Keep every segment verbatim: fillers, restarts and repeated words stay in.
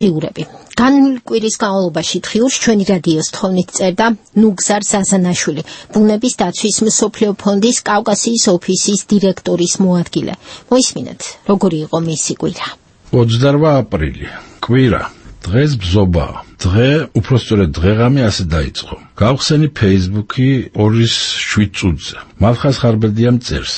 იურები. განვლილი კვირის განმავლობაში დღიურს ჩვენი რადიოს თხოვნით წერდა ნუგზარ ზაზანაშვილი, ბუნების დაცვის მსოფლიო ფონდის კავკასიის ოფისის დირექტორის მოადგილე. მოისმინეთ, როგორი იყო მისი კვირა. ოცდაოთხი აპრილი. კვირა. დღეს ბზობა. დღე, უпроსტორად დღეღამი ასე დაიწყო. გავხსენი Facebook-ი ორის შვიდ წუთზე. მალხაზ ხარბედიამ წერს.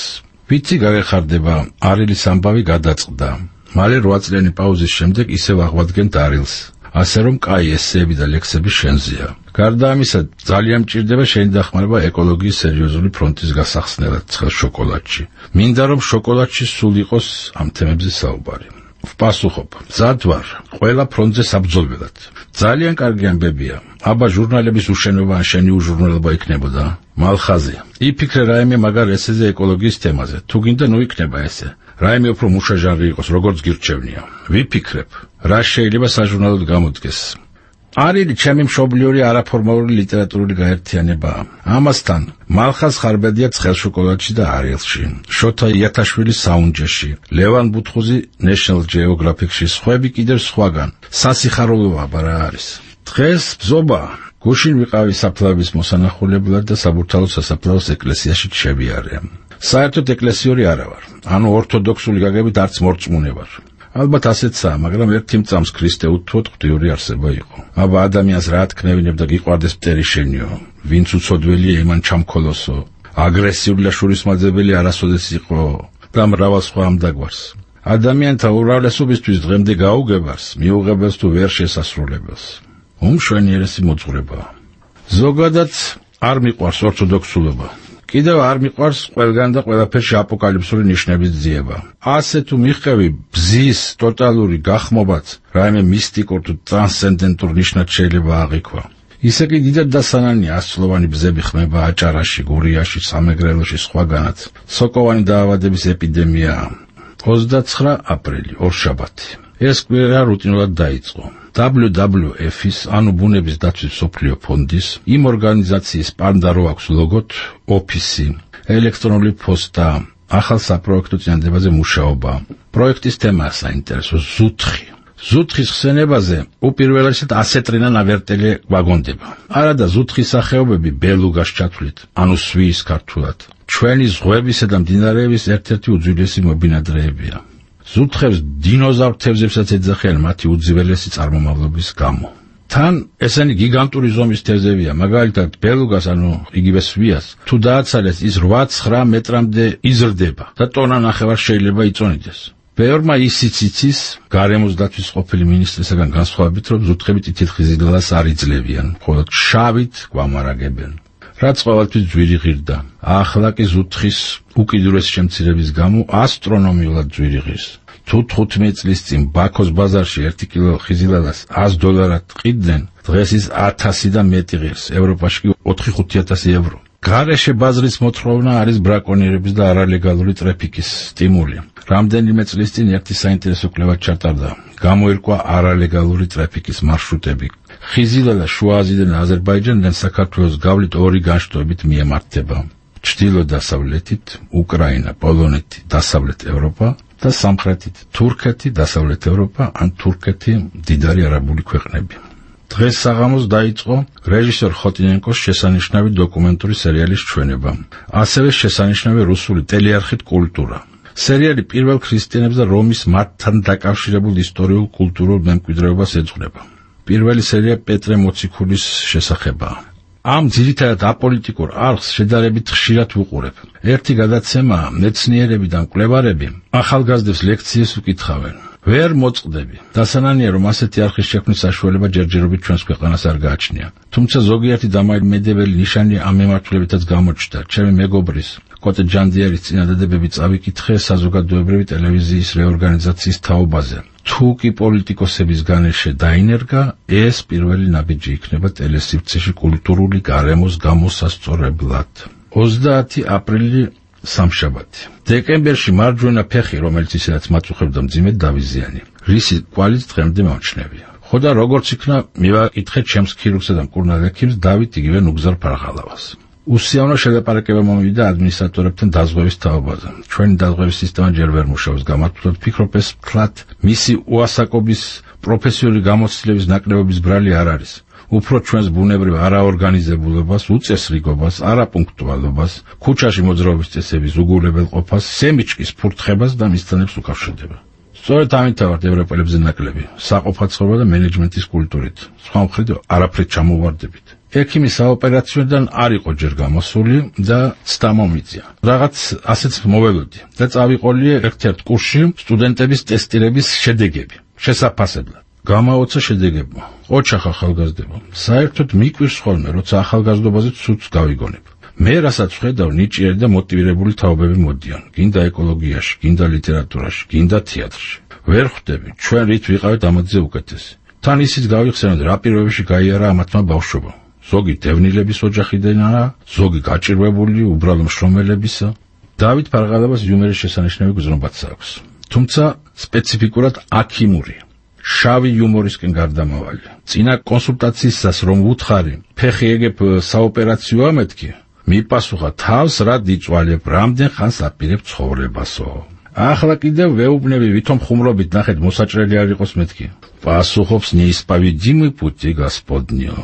ვიცი გაგეხარდება, არილის ამბავი გადაწყდა. მალე რვა წლიანი პაუზის შემდეგ ისევ აღვადგენთ არილს. ასე რომ კაი ესეები და ლექსები შენზეა. გარდა ამისა, ძალიან მჭირდება შენი დახმარება ეკოლოგიის სერიოზული ფრონტის გასახსნელად ცხელ შოკოლადში. მინდა რომ შოკოლადში სულ იყოს ამ თემებზე საუბარი. ვპასუხობ, მზად ვარ, ყველა ფრონტზე საბრძოლველად. ძალიან კარგი ამბებია. აბა ჟურნალების უშენობა ან შენი უჟურნალობა იქნებოდა. მალხაზი, იფიქრე რაიმე მაგარ ესეზე ეკოლოგიის თემაზე. თუ გინდა ნუ იქნება ესე. რაიმე უფრო მუშა ჟანრი იყოს, როგორც გირჩევნია. ვიფიქრებ, რა შეიძლება საჟურნალოდ გამოდგეს. არილი ჩემი მშობლიური არაფორმალური ლიტერატურული გაერთიანებაა. ამასთან, მალხაზ ხარბედია ცხელ შოკოლადში და არილში, შოთა იათაშვილის საუნჯეში, ლევან ბუთხუზი National Geographic-ში, სხვები კიდევ სხვაგან. სასიხარულოა რა არის. დღეს ბზობა. გუშინ ვიყავი საფლავის მოსანახულებლად და საბურთალოს სასაფლაოს ეკლესიაში შევიარე. საერთოდ ეკლესიური არა ვარ. ანუ ორთოდოქსული გაგებით არც მორწმუნე ვარ. ალბათ ასეცაა, მაგრამ ერთი მწამს ქრისტე უთუოდ ღვთიური არსება იყო. აბა ადამიანს რა თქნევინებ და გიყვარდეს მტერი შენიო, ვინც უცოდველია იმან ჩამქოლოსო, აგრესიული და შურისმაძებელი არასოდეს იყო და მრავალ სხვა ამ დაგვარს. ადამიანთა უმრავლესობისთვის დღემდე გაუგებარს, მიუღებელს თუ ვერ შესასრულებელს. უმშვენიერესი მოძღვრებაა. ზოგადად არ მიყვარს ორთოდოქსულობა. კიდევ არ მიყვარს ყველგან და ყველაფერში აპოკალიფსური ნიშნების ძიება. ასე თუ მიხევი ბზის ტოტალური გახმობაც, რაიმე მისტიკურ თუ ტრანსცენდენტურ ნიშნად შეიძლება აღიქვა. ისე კი დიდად დასანანია ასწლოვანი ბზები ხმება აჭარაში, გურიაში, სამეგრელოში, სხვაგანაც. სოკოვანი დაავადების ეპიდემიაა. ოცდაცხრა აპრილი, ორშაბათი. ეს კვირა რუტინულად დაიწყო. დაბლიუ დაბლიუ ეფ-ის, ანუ ბუნების დაცვის მსოფლიო ფონდის, იმ ორგანიზაციის პანდა რო აქვს ლოგოთ, ოფისი, ელექტრონული პოსტა, ახალ საპროექტო წინადებაზე მუშაობა. პროექტის თემაა საინტერესო ზუთხი. ზუთხის ხსენებაზე უპირველესად ასეტრინა ნავერტელი გვაგონდება. არადა ზუთხის სახეობები ბელუგას ჩათვლით, ანუ სვიის ქართულად. ჩვენი ზღვებისა და მდინარეების ერთ-ერთი უძველესი მობინადრეებია. ზუთხებს დინოზავრ თევზებსაც ეძახიან მათი უძველესი წარმომავლობის გამო. თან ესენი გიგანტური ზომის თევზებია, მაგალითად ბელუგას, ანუ იგივე სვიას, თუ დააცალეს ის რვა ცხრა მეტრამდე იზრდება და ტონა ნახევარ შეიძლება იწონიდეს. ბევრმა ისიც იცის, გარემოს დაცვის ყოფილი მინისტრისაგან განსხვავებით, რომ ზუთხები თითილხიზილელას არ იძლევიან, მხოლოდ შავით გვამარაგებენ. რაც ყოველთვის ძვირი ღირდა. ახლა კი ზუთხის უკიდურესი შემცირების გამო ასტრონომიულად ძვირი ღირს. თუ თხუთმეტი წლის წინ ბაქოს ბაზარში ერთი კილო ხიზილელას ას დოლარად ყიდდნენ, დღეს ის ათასი და მეტი ღირს, ევროპაში კი ოთხი ხუთი ათასი ევრო. გარეშე ბაზრის მოთხოვნა არის ბრაკონიერების და არალეგალური ტრაფიკის სტიმული. რამდენიმე წლის წინ ერთი საინტერესო კვლევა ჩატარდა. გამოირკვა არალეგალური ტრაფიკის მარშრუტები. ხიზილელა შუა აზიიდან აზერბაიჯანიდან საქართველოს გავლით ორი განშტოებით მიემართება. ჩრდილო-დასავლეთით უკრაინა, პოლონეთი, დასავლეთ ევროპა და სამხრეთით თურქეთი, დასავლეთ ევროპა ან თურქეთი, მდიდარი არაბული ქვეყნები. დღეს საღამოს დაიწყო რეჟისორ ხოტინენკოს შესანიშნავი დოკუმენტური სერიალის ჩვენება. ასევე შესანიშნავი რუსული ტელეარხით კულტურა. სერიალი პირველ ქრისტიანებს და რომის მათთან დაკავშირებულ ისტორიულ კულტურულ მემკვიდრეობას ეძღვნება. პირველი სერია პეტრე მოციქულის შესახებაა. ამ ძირითადად აპოლიტიკურ არხს შედარებით ხშირად ვუყურებ. ერთი გადაცემაა, მეცნიერები და მკვლევარები ახალგაზრდებს ლექციებს უკითხავენ. ვერ მოწყდები. დასანანია, რომ ასეთი არხის შექმნის საშუალება ჯერჯერობით ჩვენს ქვეყანას არ გააჩნია. თუმცა ზოგიერთი დამაიმედებელი ნიშანი ამ მიმართულებითაც გამოჩნდა. ჩემი მეგობრის კოტე ჯანდიერის წინადადებები წავიკითხე საზოგადოებრივი ტელევიზიის რეორგანიზაციის თაობაზე. თუ კი პოლიტიკოსების განეშე დაინერგა, ეს პირველი ნაბიჯი იქნება ტელესივრცეში კულტურული გარემოს გამოსასწორებლად. ოცდაათი აპრილი სამშაბათი. დეკემბერში მარჯვენა ფეხი, რომელიც ისედაც მაწუხებდა მძიმედ დავიზიანი. რისი კვალიც დღემდე მომჩნევია. ხო და როგორც იქნა, მივაკითხე ჩემს ქირურგსა და მკურნალ ექიმს დავით იგივე ნუგზარ ფარღალავას. უსიამოვნო შედაპარაკება მომივიდა ადმინისტრატორებთან დაზღვევის თაობაზე. ჩვენი დაზღვევის სისტემა ჯერ ვერ მუშაობს, გამართულად ვფიქრობ, ეს ფლად მისი უასაკობის პროფესიული გამოცდილების ნაკლებობის ბრალი არ არის. უფრო ჩვენს ბუნებრივ არაორგანიზებულობას, უწესრიგობას, არაპუნქტუალობას, ქუჩაში მოძრაობის წესების უგულებელყოფას, სემიჩკის ფურთხებას და მისცანებს უკავშირდება. სწორედ ამითავართ ევროპელებზე ნაკლები, საყოფაცხოვრება და მენეჯმენტის კულტურით. სხვა მხრით არაფრით ჩამოვარდებით. ექიმი საოპერაციოდან არ იყო ჯერ გამოსული და ცდა მომიწია. რაღაც ასეც მოველოდი და წავიყოლიე ერთ-ერთ კურსში სტუდენტების ტესტირების შედეგები. შესაფასებლად. გამაოცა შედეგებმა. ოჩახ ახალგაზრდებო. საერთოდ მიკვირს ხოლმე, როცა ახალგაზრდობაზე ცუდს გავიგონებ. მე რასაც ვხედავ, ნიჭიერი და მოტივირებული თაობები მოდიან. გინდა ეკოლოგიაში, გინდა ლიტერატურაში, გინდა თეატრში. ვერ ხვდები, ჩვენ რით ვიყავით ამათზე უკეთესი. თან ისიც გავიხსენოთ, რა პირობებში გაიარა ამათმა ბავშვობა. ზოგი დევნილების ოჯახიდანაა, ზოგი გაჭირვებული, უბრალო მშრომელებისა. დავით ფარღალებას იუმორის შესანიშნავი გზნობაც აქვს. თუმცა სპეციფიკურად აქიმური. შავი იუმორისკენ გარდამავალი. წინა კონსულტაციისას რომ ვუთხარი, ფეხი ეგებ საოპერაციო ამეთქი, მიპასუხა თავს რა დიწვალებ, რამდენ ხანს აპირებ ცხოვრებასო. ახლა კიდევ ვეუბნები, ვითომ ხუმრობით ნახეთ მოსაჭრელი არ იყოს მეთქი. პასუხობს ნისპავიძიმი პუტი გასპოდნიო.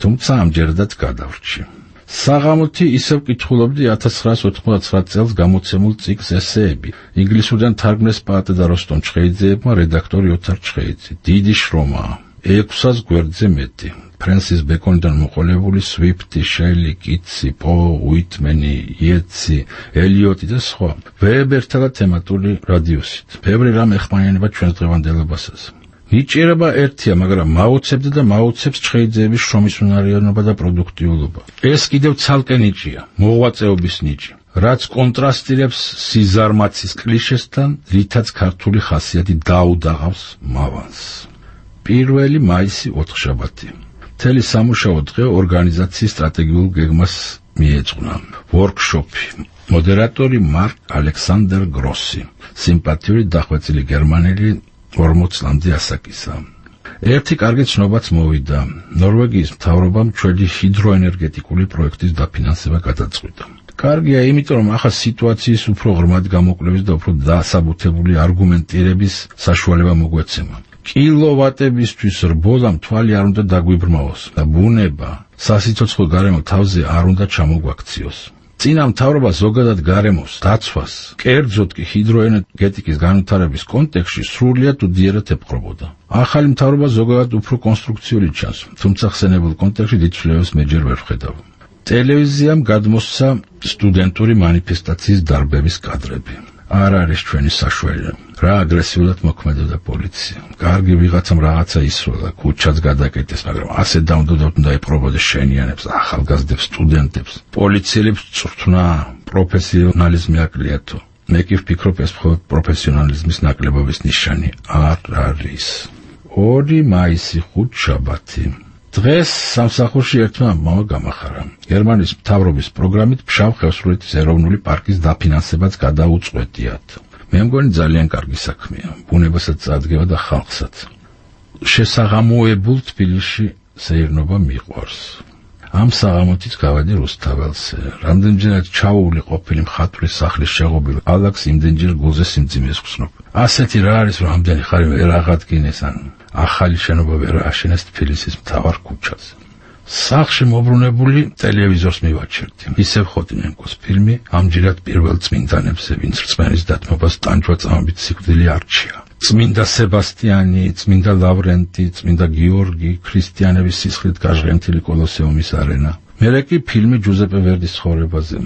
თუმცა ამჯერადაც გადავრჩი. საღამოთი ისევ კითხულობდი ათას ცხრაას ოთხმოცდათვრამეტ წელს გამოცემულ ციკლს ესეები. ინგლისურიდან თარგმნეს პაატე და როსტომ ჩხეიძეებმა, რედაქტორი ოთარ ჩხეიძე. დიდი შრომაა. ექვსას გვერდზე მეტი. ფრენსის ბეკონიდან მოყოლებული სვიფტი, შელი, კიტსი, პო, უიტმენი, იეტსი, ელიოტი და სხვა. ვეებერთალა თემატური რადიუსით. ბევრი რამ ეხმიანება ჩვენს დღევანდელებასაც. ნიჭიერება ერთია, მაგრამ მაუცებდა და მაუცებს ჩხეიძეების შრომის უნარიანობა და პროდუქტიულობა. ეს კიდევ ცალკე ნიჭია, მოღვაწეობის ნიჭი, რაც კონტრასტირებს სიზარმაცის კლიშესთან, რითაც ქართული ხასიათი დაუდაღავს მავანს. პირველი მაისი ოთხშაბათი. მთელი სამუშაო დღე ორგანიზაციის სტრატეგიულ გეგმას მიეძღვნა. ვორკშოპი. მოდერატორი მარკ ალექსანდერ გროსი. სიმპათიური დახვეწილი გერმანელი ორმოც წლამდე ასაკისა. ერთი კარგი ცნობაც მოვიდა. ნორვეგიის მთავრობამ ჩვენი ჰიდროენერგეტიკული პროექტის დაფინანსება გადაწყვიტა. კარგია, იმიტომ რომ ახლა სიტუაციის უფრო ღრმად გამოკვლევის და უფრო დასაბუთებული არგუმენტირების საშუალება მოგვეცემა. კილოვატებისთვის რბოლამ თვალი არ უნდა დაგვიბრმავოს და ბუნება სასიცოცხლო გარემო თავზე არ უნდა ჩამოგვაქციოს. წინა მთავრობა ზოგადად გარემოს დაცვას, კერძოდ კი ჰიდროენერგეტიკის განვითარების კონტექსტში სრულიად უდიერად ეპყრობოდა. ახალი მთავრობა ზოგადად უფრო კონსტრუქციული ჩანს, თუმცა ხსენებულ კონტექსტში დიდ ცვლილებას მე ჯერ ვერ ვხედავ. ტელევიზიამ გადმოსცა სტუდენტური მანიფესტაციის დარბების კადრები. არ არის ჩვენი საშველი. რა აგრესიულად მოქმედებდა პოლიცია. კარგი ვიღაცამ რაღაცა ისროლა, ქუჩაც გადაკეტეს, მაგრამ ასე დაუნდოდათ უნდა ეპყრობოდეს შენიანებს, ახალგაზრდებს, სტუდენტებს. პოლიციელებს წვრთნა, პროფესიონალიზმი აკლიათო. მე კი ვფიქრობ, ეს მხოლოდ პროფესიონალიზმის ნაკლებობის ნიშანი არ არის. ორი მაისი ხუთშაბათი. დღეს სამსახურში ერთმა ამბავმა გამახარა. გერმანიის მთავრობის პროგრამით ფშავ ხევსურეთის ეროვნული პარკის დაფინანსებაც გადაუწყვეტიათ. მე მგონი ძალიან კარგი საქმეა, ბუნებასაც წარდგება და ხალხსაც. შესაღამოებულ თბილისში სეირნობა მიყვარს. ამ საღამოთიც გავედი რუსთაველზე. რამდენჯერაც ჩაუვლი ყოფილი მხატვრის სახლის შეღობილ ალაგს იმდენჯერ გულზე სიმძიმეს ვხსნობ. ასეთი რა არის, რომ ამდენი ხარი ვერ აღადგინეს ან ახალი შენობა ვერ ააშენეს თბილისის მთავარ ქუჩაზე. სახლში მობრუნებული ტელევიზორს მივაჩერდი. ისევ ხოდინენკოს ფილმი, ამჯერად პირველ წმინდანებზე, ვინც რწმენის დათმობას ტანჯვა წამებით სიკვდილი არჩია. წმინდა სებასტიანი, წმინდა ლავრენტი, წმინდა გიორგი, ქრისტიანების სისხლით გაჟღენთილი კოლოსეუმის არენა. მერე კი ფილმი ჯუზეპე ვერდის ცხოვრებაზე.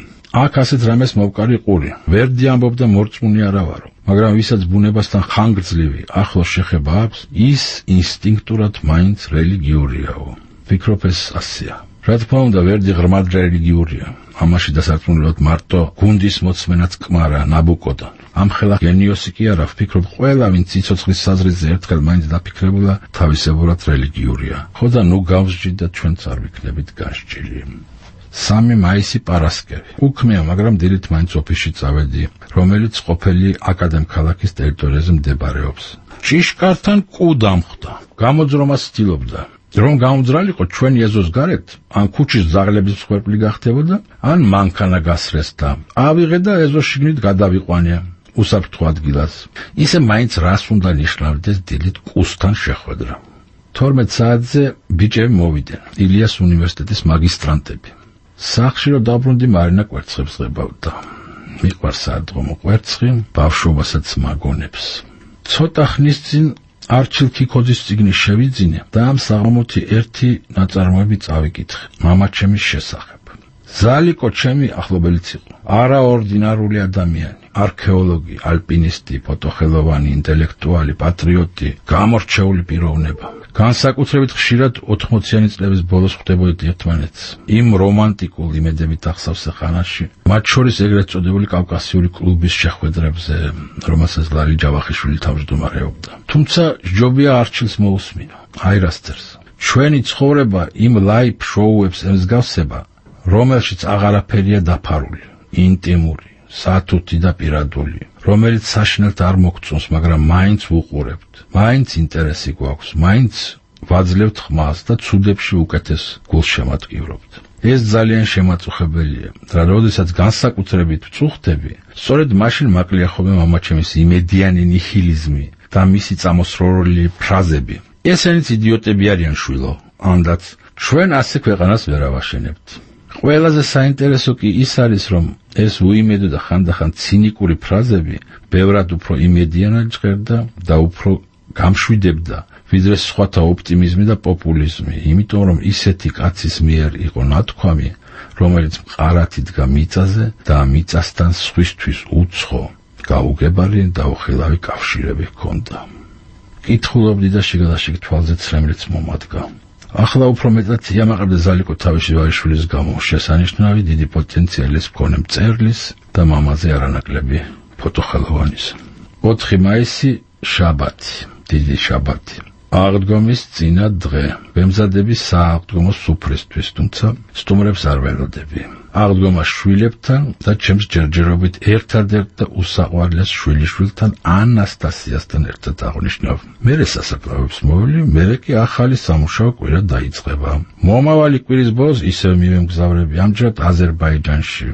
აქ ასეთ რამეს მოვკარი ყური. ვერდი ამბობდა მორწმუნე არა ვარო, მაგრამ ვისაც ბუნებასთან ხანგრძლივი ახლოს შეხება აქვს, ის ინსტინქტურად მაინც რელიგიურიაო. ვფიქრობ, ეს ასეა. რა თქმა უნდა, ვერდი ღრმად რელიგიურია. ამაში დასარწმუნებლად მარტო გუნდის მოწმენაც კმარა ნაბუკოდა. ამ ხელა გენიოსი კი არა, ვფიქრობ, ყველა ვინც სიცოცხლის საზრისზე ერთხელ მაინც დაფიქრებულა, თავისებურად რელიგიურია. ხო და ნუ გავსჯით და ჩვენც არ ვიქნებით გასჯილი. სამი მაისი პარასკევი. უქმეა, მაგრამ დილით მაინც ოფისში წავედი, რომელიც ყოფილი აკადემქალაქის ტერიტორიაზე მდებარეობს. ჭიშკართან კუ დამხვდა. გამოძრომას ცდილობდა. რომ გაუმძრალიყო ჩვენი ეზოს გარეთ, ან ქუჩის ძაღლების მსხვერპლი გახდებოდა, ან მანქანა გასრეს და ავიღე და ეზოს შიგნით გადავიყვანია უსაფრთხო ადგილას. ისე მაინც რას უნდა ნიშნავდეს დილით კუსთან შეხვედრა. თორმეტ საათზე ბიჭები მოვიდნენ, ილიას უნივერსიტეტის მაგისტრანტები. სახლში რომ დაბრუნდი, მარინა კვერცხებს ღებავდა. მიყვარს საერთო კვერცხი, ბავშვობასაც მაგონებს. ცოტა ხნის წინ არჩილ ქიქოძის წიგნი შევიძინე და ამ საღამოთი ერთი ნაწარმოები წავიკითხე მამაჩემის შესახებ. ზალიკო ჩემი ახლობელიც იყო, არაორდინარული ადამიანი, არქეოლოგი, ალპინისტი, ფოტოხელოვანი, ინტელექტუალი, პატრიოტი, გამორჩეული პიროვნება. განსაკუთრებით ხშირად ოთხმოციანი წლების ბოლოს ხვდებოდით ერთმანეთს. იმ რომანტიკულ იმედებით ახსავსე ხანაში, მათ შორის ეგრეთ წოდებული კავკასიური კლუბის შეხვედრებზე, რომელსაც ლალი ჯავახიშვილი თავმჯდომარეობდა. თუმცა ჯობია არჩილს მოусმინო. აი რა წერს. ჩვენი ცხოვრება იმ ლაივ შოუებს ემსგავსება, რომელშიც აღარაფერია დაფარული, ინტიმური, სათუთი და პირადული, რომელიც საშინელთ არ მოგწონს, მაგრამ მაინც ვუყურებთ. მაინც ინტერესი გვაქვს, მაინც ვაძლევთ ხმას და ცუდებში უკეთეს გულშემატკივრობთ. ეს ძალიან შემაწუხებელია, რა როდესაც განსაკუთრებით ვწუხდები, სწორედ მაშინ მაკლია ხოლმე მამაჩემის იმედიანი ნიჰილიზმი და მისი წამოსროლილი ფრაზები. ესენიც იდიოტები არიან შვილო, ანდაც ჩვენ ასე ქვეყანას ვერ ავაშენებთ. ყველაზე საინტერესო კი ის არის, რომ ეს უიმედო და ხანდახან ცინიკური ფრაზები ბევრად უფრო იმედიანად ჟღერდა და უფრო გამშვიდებდა, ვიდრე სხვათა ოპტიმიზმი და პოპულიზმი, იმიტომ რომ ისეთი კაცის მიერ იყო ნათქვამი, რომელიც მყარად იდგა მიწაზე და მიწასთან სხვისთვის უცხო, გაუგებარი და უხილავი კავშირები ჰქონდა. კითხულობდი და შიგადაშიგ თვალზე ცრემლიც მომადგა. ახლა უფრო მეტად იამაყებდა ზალიკო თავისი ვაჟიშვილის გამო, შესანიშნავი დიდი პოტენციალის მქონე მწერლის და მამაზე არანაკლები ფოტოხელოვანის. ოთხი მაისი, შაბათი, დიდი შაბათი. აღდგომის წინა დღე, ვემზადები სააღდგომო სუფრისთვის, თუმცა სტუმრებს არ ველოდები. აღდგომა შვილებთან და ჩემს ჯერჯერობით ერთადერთ და უსაყვარლეს შვილიშვილთან ანასტასიასთან ერთად აღნიშნავ. მერე სასაფლაოებს მოვლი, მერე კი ახალი სამუშაო კვირა დაიწყება. მომავალი კვირის ბოლოს ისევ მივემგზავრები, ამჯერად აზერბაიჯანში.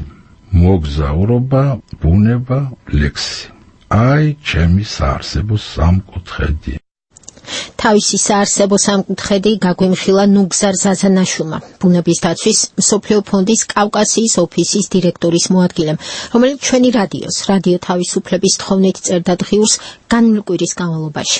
მოგზაურობა, ბუნება, ლექსი. აი, ჩემი საარსებო სამკუთხედი. თავისი საარსებო სამკუთხედი გაგვიმხილა ნუგზარ ზაზანაშვილმა, ბუნების დაცვის მსოფლიო ფონდის კავკასიის ოფისის დირექტორის მოადგილემ, რომელიც ჩვენი რადიოს, რადიო თავისუფლების თხოვნით წერდა დღიურს განმლკვირის განმავლობაში.